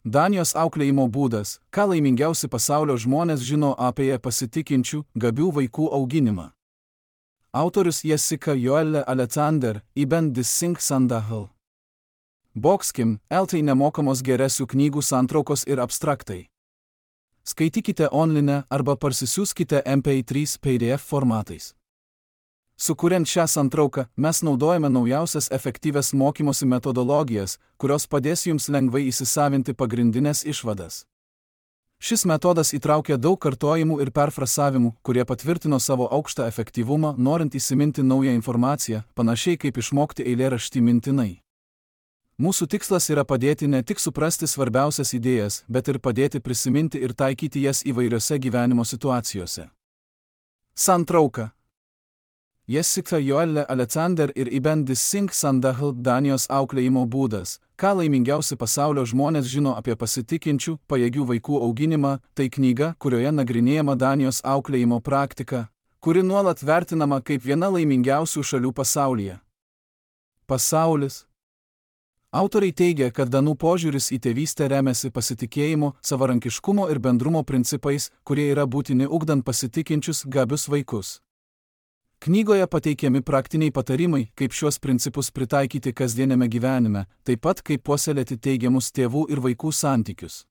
Danijos auklėjimo būdas, ką laimingiausi pasaulio žmonės žino apie pasitikinčių, gabių vaikų auginimą. Autorius Jessica Joelle Alexander, Ibn Dissing Sandahel. Bokskim, LT nemokamos geresių knygų santraukos ir abstraktai. Skaitykite online arba parsisiųskite MP3 PDF formatais. Sukuriant šią santrauką, mes naudojame naujausias efektyvias mokymosi metodologijas, kurios padės jums lengvai įsisavinti pagrindinės išvadas. Šis metodas įtraukia daug kartojimų ir perfrasavimų, kurie patvirtino savo aukštą efektyvumą, norint įsiminti naują informaciją, panašiai kaip išmokti eilėraštį mintinai. Mūsų tikslas yra padėti ne tik suprasti svarbiausias idėjas, bet ir padėti prisiminti ir taikyti jas įvairiose gyvenimo situacijose. Santrauka. Jessica Joelle Alexander ir Ibn Dissing Sandahel Danijos auklėjimo būdas, ką laimingiausi pasaulio žmonės žino apie pasitikinčių, pajėgių vaikų auginimą, tai knyga, kurioje nagrinėjama Danijos auklėjimo praktika, kuri nuolat vertinama kaip viena laimingiausių šalių pasaulyje. Pasaulis. Autoriai teigia, kad danų požiūris į tėvystę remiasi pasitikėjimo, savarankiškumo ir bendrumo principais, kurie yra būtini ugdant pasitikinčius, gabius vaikus. Knygoje pateikiami praktiniai patarimai, kaip šiuos principus pritaikyti kasdieniame gyvenime, taip pat kaip puoselėti teigiamus tėvų ir vaikų santykius.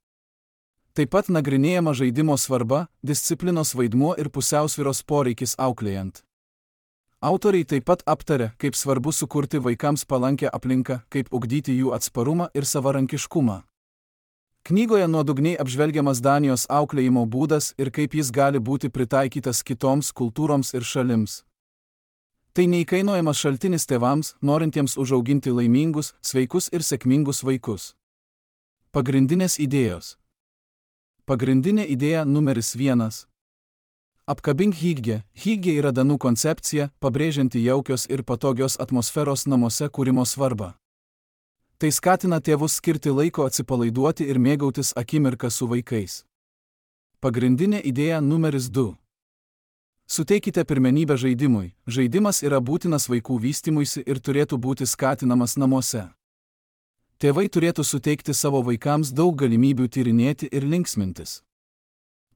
Taip pat nagrinėjama žaidimo svarba, disciplinos vaidmuo ir pusiausvyros poreikis auklėjant. Autoriai taip pat aptarė, kaip svarbu sukurti vaikams palankę aplinką, kaip ugdyti jų atsparumą ir savarankiškumą. Knygoje nuodugniai apžvelgiamas Danijos auklėjimo būdas ir kaip jis gali būti pritaikytas kitoms kultūroms ir šalims. Tai neįkainojamas šaltinis tėvams, norintiems užauginti laimingus, sveikus ir sėkmingus vaikus. Pagrindinės idėjos. Pagrindinė idėja numeris 1. Apkabink hygge. Hygge yra danų koncepcija, pabrėžianti jaukios ir patogios atmosferos namuose kūrimo svarbą. Tai skatina tėvus skirti laiko atsipalaiduoti ir mėgautis akimirką su vaikais. Pagrindinė idėja numeris 2. Suteikite pirmenybę žaidimui. Žaidimas yra būtinas vaikų vystymuisi ir turėtų būti skatinamas namuose. Tėvai turėtų suteikti savo vaikams daug galimybių tyrinėti ir linksmintis.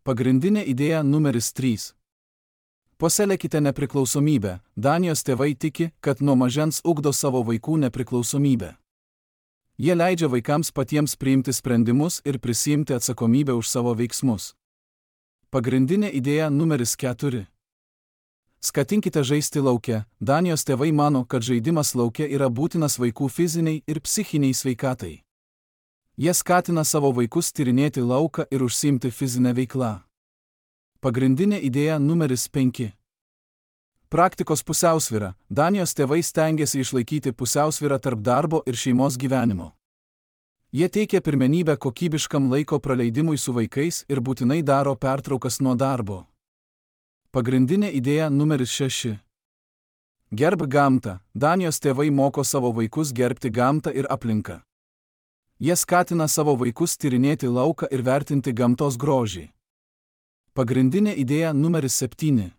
Pagrindinė idėja numeris 3. Puoselėkite nepriklausomybę. Danijos tėvai tiki, kad nuo mažens ugdo savo vaikų nepriklausomybę. Jie leidžia vaikams patiems priimti sprendimus ir prisiimti atsakomybę už savo veiksmus. Pagrindinė idėja numeris 4. Skatinkite žaisti lauke. Danijos tėvai mano, kad žaidimas lauke yra būtinas vaikų fiziniai ir psichiniai sveikatai. Jie skatina savo vaikus tyrinėti lauką ir užsiimti fizinę veiklą. Pagrindinė idėja numeris 5. Praktikos pusiausvyra. Danijos tėvai stengiasi išlaikyti pusiausvyrą tarp darbo ir šeimos gyvenimo. Jie teikia pirmenybę kokybiškam laiko praleidimui su vaikais ir būtinai daro pertraukas nuo darbo. Pagrindinė idėja numeris 6. Gerbk gamtą. Danijos tėvai moko savo vaikus gerbti gamtą ir aplinką. Jie skatina savo vaikus tyrinėti lauką ir vertinti gamtos grožį. Pagrindinė idėja numeris 7.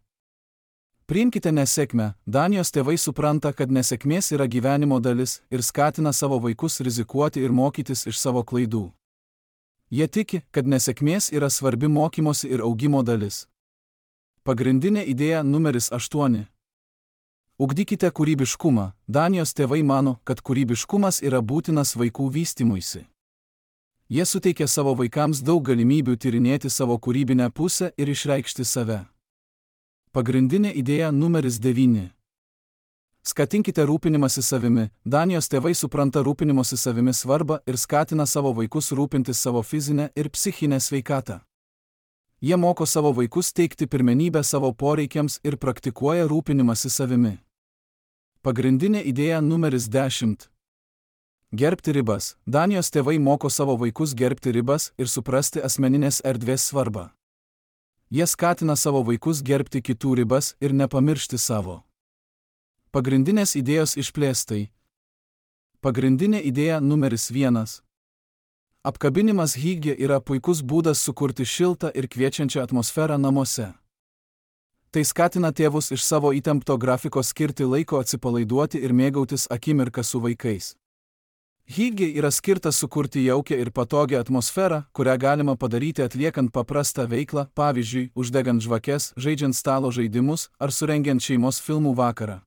Priimkite nesėkmę. Danijos tėvai supranta, kad nesėkmės yra gyvenimo dalis ir skatina savo vaikus rizikuoti ir mokytis iš savo klaidų. Jie tiki, kad nesėkmės yra svarbi mokymosi ir augimo dalis. Pagrindinė idėja numeris 8. Ugdykite kūrybiškumą. Danijos tėvai mano, kad kūrybiškumas yra būtinas vaikų vystymuisi. Jie suteikia savo vaikams daug galimybių tyrinėti savo kūrybinę pusę ir išreikšti save. Pagrindinė idėja numeris 9. Skatinkite rūpinimąsi savimi. Danijos tėvai supranta rūpinimosi savimi svarbą ir skatina savo vaikus rūpintis savo fizinę ir psichinę sveikatą. Jie moko savo vaikus teikti pirmenybę savo poreikiams ir praktikuoja rūpinimąsi savimi. Pagrindinė idėja numeris 10. Gerbti ribas. Danijos tėvai moko savo vaikus gerbti ribas ir suprasti asmeninės erdvės svarbą. Jie skatina savo vaikus gerbti kitų ribas ir nepamiršti savo. Pagrindinės idėjos išplėstai. Pagrindinė idėja numeris 1. Apkabinimas hygge yra puikus būdas sukurti šiltą ir kviečiančią atmosferą namuose. Tai skatina tėvus iš savo įtempto grafiko skirti laiko atsipalaiduoti ir mėgautis akimirką su vaikais. Hygge yra skirtas sukurti jaukią ir patogią atmosferą, kurią galima padaryti atliekant paprastą veiklą, pavyzdžiui, uždegant žvakes, žaidžiant stalo žaidimus ar surengiant šeimos filmų vakarą.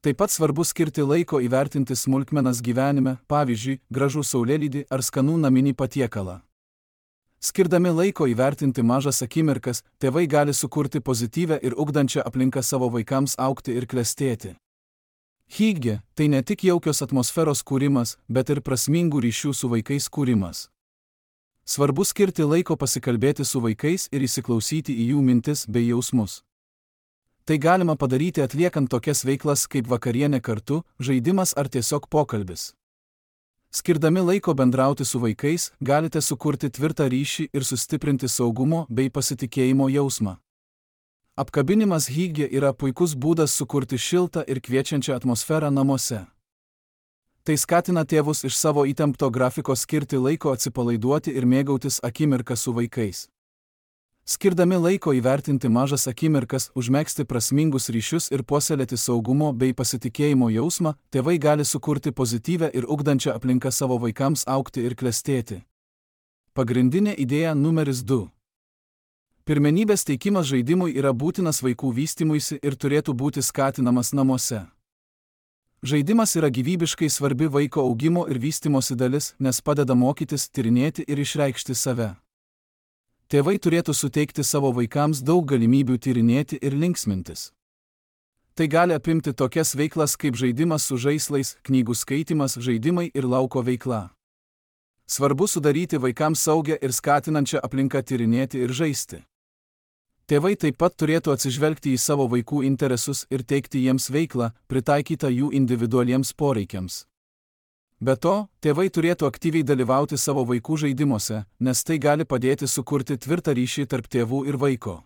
Taip pat svarbu skirti laiko įvertinti smulkmenas gyvenime, pavyzdžiui, gražų saulėlydį ar skanų naminį patiekalą. Skirdami laiko įvertinti mažas akimirkas, tėvai gali sukurti pozityvę ir ugdančią aplinką savo vaikams augti ir klestėti. Hygge – tai ne tik jaukios atmosferos kūrimas, bet ir prasmingų ryšių su vaikais kūrimas. Svarbu skirti laiko pasikalbėti su vaikais ir įsiklausyti į jų mintis bei jausmus. Tai galima padaryti atliekant tokias veiklas kaip vakarienė kartu, žaidimas ar tiesiog pokalbis. Skirdami laiko bendrauti su vaikais, galite sukurti tvirtą ryšį ir sustiprinti saugumo bei pasitikėjimo jausmą. Apkabinimas hygge yra puikus būdas sukurti šiltą ir kviečiančią atmosferą namuose. Tai skatina tėvus iš savo įtempto grafiko skirti laiko atsipalaiduoti ir mėgautis akimirką su vaikais. Skirdami laiko įvertinti mažas akimirkas, užmegzti prasmingus ryšius ir puoselėti saugumo bei pasitikėjimo jausmą, tėvai gali sukurti pozityvę ir ugdančią aplinką savo vaikams augti ir klestėti. Pagrindinė idėja numeris 2. Pirmenybės teikimas žaidimui yra būtinas vaikų vystymuisi ir turėtų būti skatinamas namuose. Žaidimas yra gyvybiškai svarbi vaiko augimo ir vystymosi dalis, nes padeda mokytis, tyrinėti ir išreikšti save. Tėvai turėtų suteikti savo vaikams daug galimybių tyrinėti ir linksmintis. Tai gali apimti tokias veiklas kaip žaidimas su žaislais, knygų skaitymas, žaidimai ir lauko veikla. Svarbu sudaryti vaikams saugią ir skatinančią aplinką tyrinėti ir žaisti. Tėvai taip pat turėtų atsižvelgti į savo vaikų interesus ir teikti jiems veiklą, pritaikytą jų individualiems poreikiams. Be to, tėvai turėtų aktyviai dalyvauti savo vaikų žaidimuose, nes tai gali padėti sukurti tvirtą ryšį tarp tėvų ir vaiko.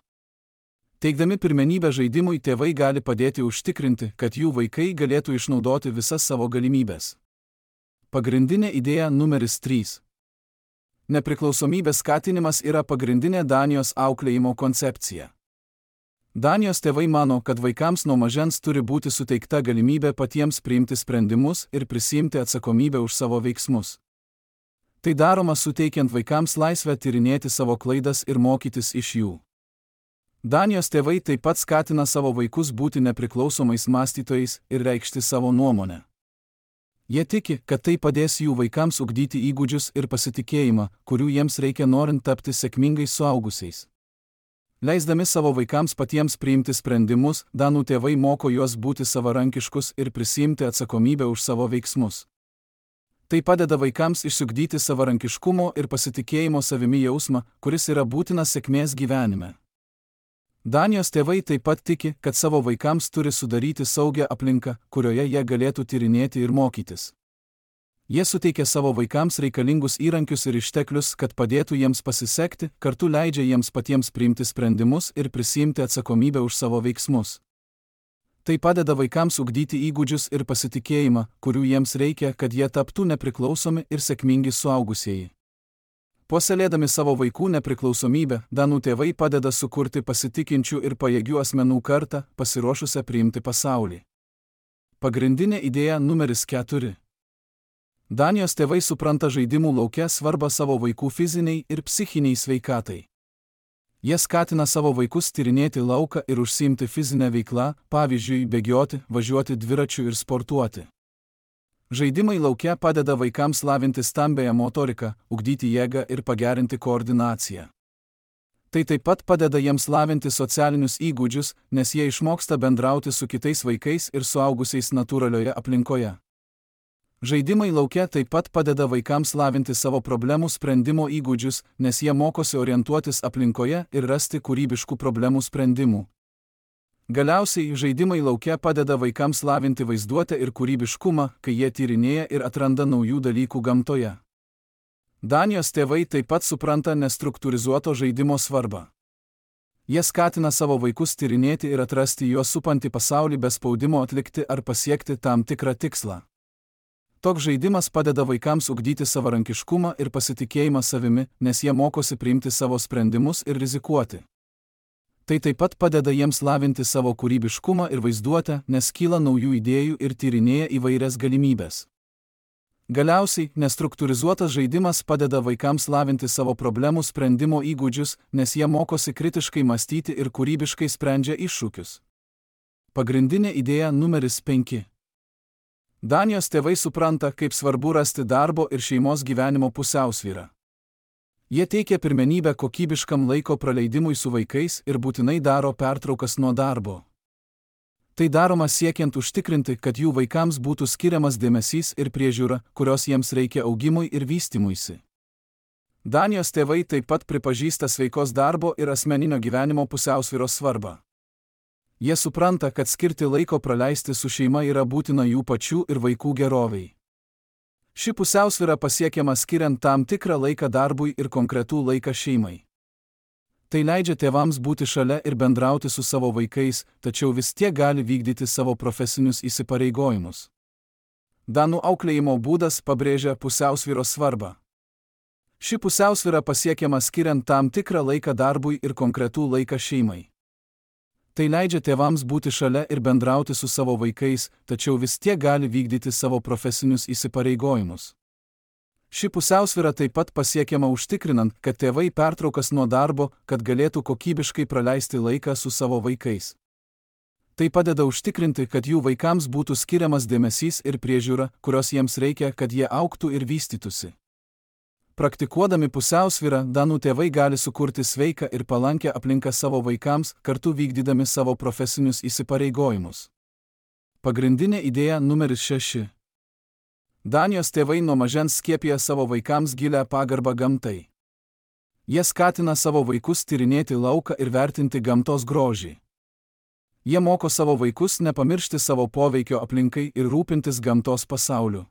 Teikdami pirmenybę žaidimui, tėvai gali padėti užtikrinti, kad jų vaikai galėtų išnaudoti visas savo galimybes. Pagrindinė idėja numeris 3. Nepriklausomybės skatinimas yra pagrindinė Danijos auklėjimo koncepcija. Danijos tėvai mano, kad vaikams nuo mažens turi būti suteikta galimybė patiems priimti sprendimus ir prisiimti atsakomybę už savo veiksmus. Tai daroma suteikiant vaikams laisvę tyrinėti savo klaidas ir mokytis iš jų. Danijos tėvai taip pat skatina savo vaikus būti nepriklausomais mąstytojais ir reikšti savo nuomonę. Jie tiki, kad tai padės jų vaikams ugdyti įgūdžius ir pasitikėjimą, kurių jiems reikia norint tapti sėkmingais suaugusiais. Leisdami savo vaikams patiems priimti sprendimus, danų tėvai moko juos būti savarankiškus ir prisiimti atsakomybę už savo veiksmus. Tai padeda vaikams išsiugdyti savarankiškumo ir pasitikėjimo savimi jausmą, kuris yra būtinas sėkmės gyvenime. Danijos tėvai taip pat tiki, kad savo vaikams turi sudaryti saugią aplinką, kurioje jie galėtų tyrinėti ir mokytis. Jie suteikia savo vaikams reikalingus įrankius ir išteklius, kad padėtų jiems pasisekti, kartu leidžia jiems patiems priimti sprendimus ir prisiimti atsakomybę už savo veiksmus. Tai padeda vaikams ugdyti įgūdžius ir pasitikėjimą, kurių jiems reikia, kad jie taptų nepriklausomi ir sėkmingi suaugusieji. Puoselėdami savo vaikų nepriklausomybę, danų tėvai padeda sukurti pasitikinčių ir pajėgių asmenų kartą, pasiruošusią priimti pasaulį. Pagrindinė idėja numeris 4. Danijos tėvai supranta žaidimų lauke svarbą savo vaikų fiziniai ir psichiniai sveikatai. Jie skatina savo vaikus tyrinėti lauką ir užsiimti fizinę veiklą, pavyzdžiui, bėgioti, važiuoti dviračiu ir sportuoti. Žaidimai lauke padeda vaikams lavinti stambiąją motoriką, ugdyti jėgą ir pagerinti koordinaciją. Tai taip pat padeda jiems lavinti socialinius įgūdžius, nes jie išmoksta bendrauti su kitais vaikais ir suaugusiais natūralioje aplinkoje. Žaidimai lauke taip pat padeda vaikams lavinti savo problemų sprendimo įgūdžius, nes jie mokosi orientuotis aplinkoje ir rasti kūrybiškų problemų sprendimų. Galiausiai, žaidimai lauke padeda vaikams lavinti vaizduotę ir kūrybiškumą, kai jie tyrinėja ir atranda naujų dalykų gamtoje. Danijos tėvai taip pat supranta nestruktūrizuoto žaidimo svarbą. Jie skatina savo vaikus tyrinėti ir atrasti juos supantį pasaulį be spaudimo atlikti ar pasiekti tam tikrą tikslą. Toks žaidimas padeda vaikams ugdyti savarankiškumą ir pasitikėjimą savimi, nes jie mokosi priimti savo sprendimus ir rizikuoti. Tai taip pat padeda jiems lavinti savo kūrybiškumą ir vaizduotę, nes kyla naujų idėjų ir tyrinėja įvairias galimybes. Galiausiai, nestruktūrizuotas žaidimas padeda vaikams lavinti savo problemų sprendimo įgūdžius, nes jie mokosi kritiškai mąstyti ir kūrybiškai sprendžia iššūkius. Pagrindinė idėja numeris 5. Danijos tėvai supranta, kaip svarbu rasti darbo ir šeimos gyvenimo pusiausvyrą. Jie teikia pirmenybę kokybiškam laiko praleidimui su vaikais ir būtinai daro pertraukas nuo darbo. Tai daroma siekiant užtikrinti, kad jų vaikams būtų skiriamas dėmesys ir priežiūra, kurios jiems reikia augimui ir vystymuisi. Danijos tėvai taip pat pripažįsta sveikos darbo ir asmeninio gyvenimo pusiausvyros svarbą. Jie supranta, kad skirti laiko praleisti su šeima yra būtina jų pačių ir vaikų geroviai. Ši pusiausvyra pasiekiama skiriant tam tikrą laiką darbui ir konkretų laiką šeimai. Tai leidžia tėvams būti šalia ir bendrauti su savo vaikais, tačiau vis tiek gali vykdyti savo profesinius įsipareigojimus. Danų auklėjimo būdas pabrėžia pusiausvyros svarbą. Ši pusiausvyra pasiekiama skiriant tam tikrą laiką darbui ir konkretų laiką šeimai. Tai leidžia tėvams būti šalia ir bendrauti su savo vaikais, tačiau vis tiek gali vykdyti savo profesinius įsipareigojimus. Ši pusiausvyra taip pat pasiekiama užtikrinant, kad tėvai pertraukas nuo darbo, kad galėtų kokybiškai praleisti laiką su savo vaikais. Tai padeda užtikrinti, kad jų vaikams būtų skiriamas dėmesys ir priežiūra, kurios jiems reikia, kad jie augtų ir vystytųsi. Praktikuodami pusiausvyrą, danų tėvai gali sukurti sveiką ir palankę aplinką savo vaikams, kartu vykdydami savo profesinius įsipareigojimus. Pagrindinė idėja numeris 6. Danijos tėvai nuo mažens skiepija savo vaikams gilią pagarbą gamtai. Jie skatina savo vaikus tyrinėti lauką ir vertinti gamtos grožį. Jie moko savo vaikus nepamiršti savo poveikio aplinkai ir rūpintis gamtos pasauliu.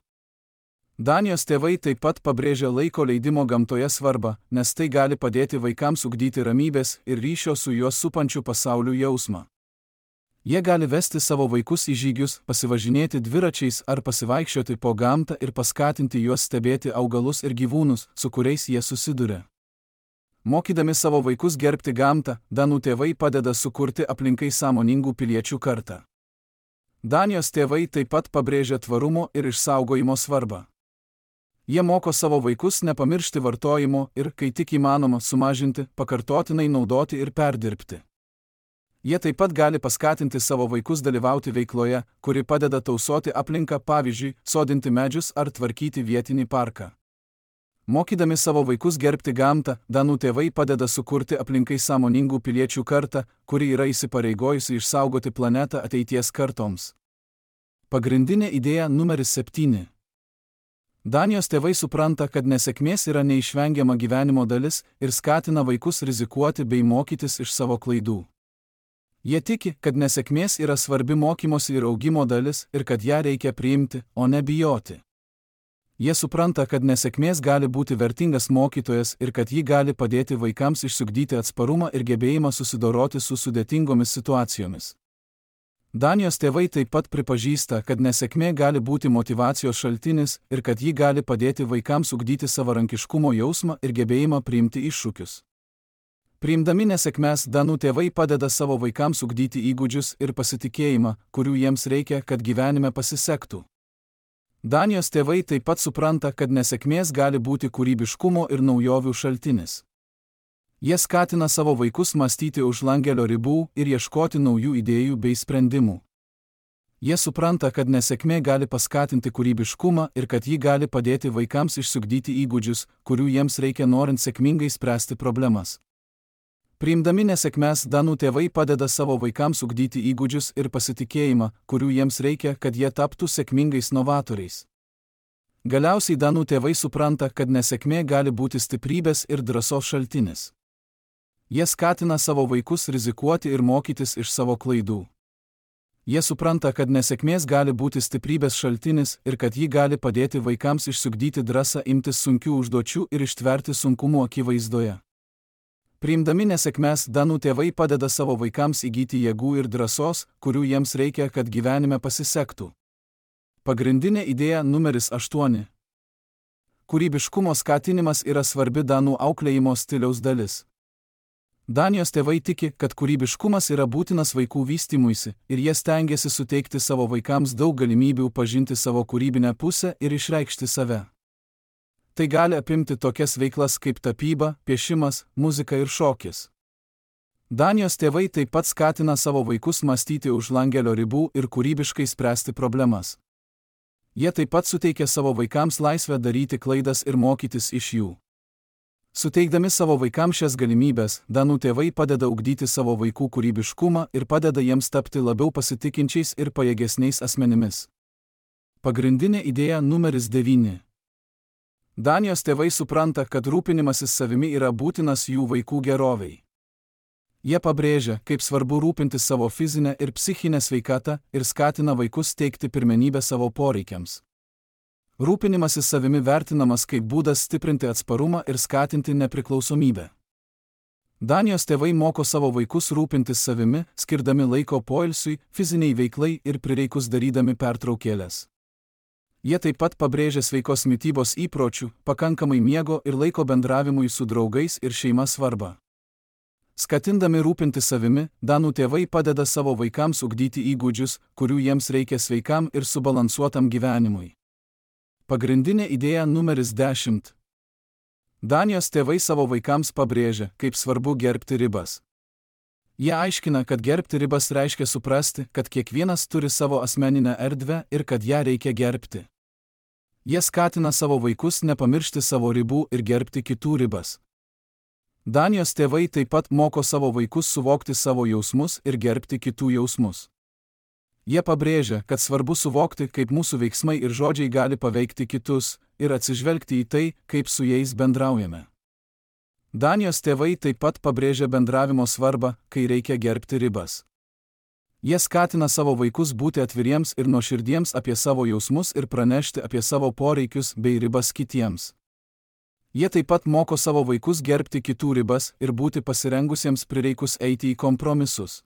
Danijos tėvai taip pat pabrėžia laiko leidimo gamtoje svarbą, nes tai gali padėti vaikams ugdyti ramybės ir ryšio su juos supančiu pasauliu jausmą. Jie gali vesti savo vaikus į žygius, pasivažinėti dviračiais ar pasivaikščioti po gamtą ir paskatinti juos stebėti augalus ir gyvūnus, su kuriais jie susiduria. Mokydami savo vaikus gerbti gamtą, danų tėvai padeda sukurti aplinkai sąmoningų piliečių kartą. Danijos tėvai taip pat pabrėžia tvarumo ir išsaugojimo svarbą. Jie moko savo vaikus nepamiršti vartojimo ir, kai tik įmanoma, sumažinti, pakartotinai naudoti ir perdirbti. Jie taip pat gali paskatinti savo vaikus dalyvauti veikloje, kuri padeda tausoti aplinką, pavyzdžiui, sodinti medžius ar tvarkyti vietinį parką. Mokydami savo vaikus gerbti gamtą, danų tėvai padeda sukurti aplinkai sąmoningų piliečių kartą, kuri yra įsipareigojusi išsaugoti planetą ateities kartoms. Pagrindinė idėja numeris 7. Danijos tėvai supranta, kad nesėkmės yra neišvengiama gyvenimo dalis ir skatina vaikus rizikuoti bei mokytis iš savo klaidų. Jie tiki, kad nesėkmės yra svarbi mokymosi ir augimo dalis ir kad ją reikia priimti, o ne bijoti. Jie supranta, kad nesėkmės gali būti vertingas mokytojas ir kad ji gali padėti vaikams išsiugdyti atsparumą ir gebėjimą susidoroti su sudėtingomis situacijomis. Danijos tėvai taip pat pripažįsta, kad nesėkmė gali būti motyvacijos šaltinis ir kad ji gali padėti vaikams ugdyti savarankiškumo jausmą ir gebėjimą priimti iššūkius. Priimdami nesėkmes, danų tėvai padeda savo vaikams ugdyti įgūdžius ir pasitikėjimą, kurių jiems reikia, kad gyvenime pasisektų. Danijos tėvai taip pat supranta, kad nesėkmės gali būti kūrybiškumo ir naujovių šaltinis. Jie skatina savo vaikus mąstyti už langelio ribų ir ieškoti naujų idėjų bei sprendimų. Jie supranta, kad nesėkmė gali paskatinti kūrybiškumą ir kad ji gali padėti vaikams išsiugdyti įgūdžius, kurių jiems reikia norint sėkmingai spręsti problemas. Priimdami nesėkmes, danų tėvai padeda savo vaikams ugdyti įgūdžius ir pasitikėjimą, kurių jiems reikia, kad jie taptų sėkmingais novatoriais. Galiausiai danų tėvai supranta, kad nesėkmė gali būti stiprybės ir drąsos šaltinis. Jie skatina savo vaikus rizikuoti ir mokytis iš savo klaidų. Jie supranta, kad nesėkmės gali būti stiprybės šaltinis ir kad ji gali padėti vaikams išsiugdyti drąsą imtis sunkių užduočių ir ištverti sunkumų akivaizdoje. Priimdami nesėkmes, danų tėvai padeda savo vaikams įgyti jėgų ir drąsos, kurių jiems reikia, kad gyvenime pasisektų. Pagrindinė idėja numeris 8. Kūrybiškumo skatinimas yra svarbi danų auklėjimo stiliaus dalis. Danijos tėvai tiki, kad kūrybiškumas yra būtinas vaikų vystymuisi ir jie stengiasi suteikti savo vaikams daug galimybių pažinti savo kūrybinę pusę ir išreikšti save. Tai gali apimti tokias veiklas kaip tapyba, piešimas, muzika ir šokis. Danijos tėvai taip pat skatina savo vaikus mąstyti už langelio ribų ir kūrybiškai spręsti problemas. Jie taip pat suteikia savo vaikams laisvę daryti klaidas ir mokytis iš jų. Suteikdami savo vaikams šias galimybės, danų tėvai padeda ugdyti savo vaikų kūrybiškumą ir padeda jiems tapti labiau pasitikinčiais ir pajėgesniais asmenimis. Pagrindinė idėja numeris 9. Danijos tėvai supranta, kad rūpinimasis savimi yra būtinas jų vaikų gerovei. Jie pabrėžia, kaip svarbu rūpintis savo fizinę ir psichinę sveikatą ir skatina vaikus teikti pirmenybę savo poreikiams. Rūpinimasis savimi vertinamas kaip būdas stiprinti atsparumą ir skatinti nepriklausomybę. Danijos tėvai moko savo vaikus rūpintis savimi, skirdami laiko poilsiui, fiziniai veiklai ir prireikus darydami pertraukėles. Jie taip pat pabrėžia sveikos mitybos įpročių, pakankamai miego ir laiko bendravimui su draugais ir šeima svarbą. Skatindami rūpintis savimi, danų tėvai padeda savo vaikams ugdyti įgūdžius, kurių jiems reikia sveikam ir subalansuotam gyvenimui. Pagrindinė idėja numeris 10. Danijos tėvai savo vaikams pabrėžia, kaip svarbu gerbti ribas. Jie aiškina, kad gerbti ribas reiškia suprasti, kad kiekvienas turi savo asmeninę erdvę ir kad ją reikia gerbti. Jie skatina savo vaikus nepamiršti savo ribų ir gerbti kitų ribas. Danijos tėvai taip pat moko savo vaikus suvokti savo jausmus ir gerbti kitų jausmus. Jie pabrėžia, kad svarbu suvokti, kaip mūsų veiksmai ir žodžiai gali paveikti kitus ir atsižvelgti į tai, kaip su jais bendraujame. Danijos tėvai taip pat pabrėžia bendravimo svarbą, kai reikia gerbti ribas. Jie skatina savo vaikus būti atviriems ir nuoširdiems apie savo jausmus ir pranešti apie savo poreikius bei ribas kitiems. Jie taip pat moko savo vaikus gerbti kitų ribas ir būti pasirengusiems prireikus eiti į kompromisus.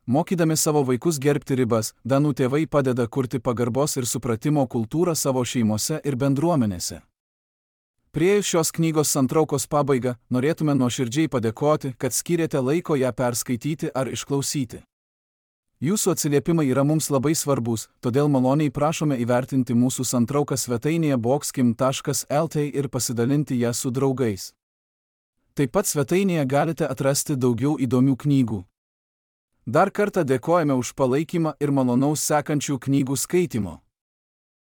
Mokydami savo vaikus gerbti ribas, danų tėvai padeda kurti pagarbos ir supratimo kultūrą savo šeimose ir bendruomenėse. Priėjus šios knygos santraukos pabaigą, norėtume nuoširdžiai padėkoti, kad skyrėte laiko ją perskaityti ar išklausyti. Jūsų atsiliepimai yra mums labai svarbus, todėl maloniai prašome įvertinti mūsų santrauką svetainėje boxkim.lt ir pasidalinti ją su draugais. Taip pat svetainėje galite atrasti daugiau įdomių knygų. Dar kartą dėkojame už palaikymą ir malonaus sekančių knygų skaitimo.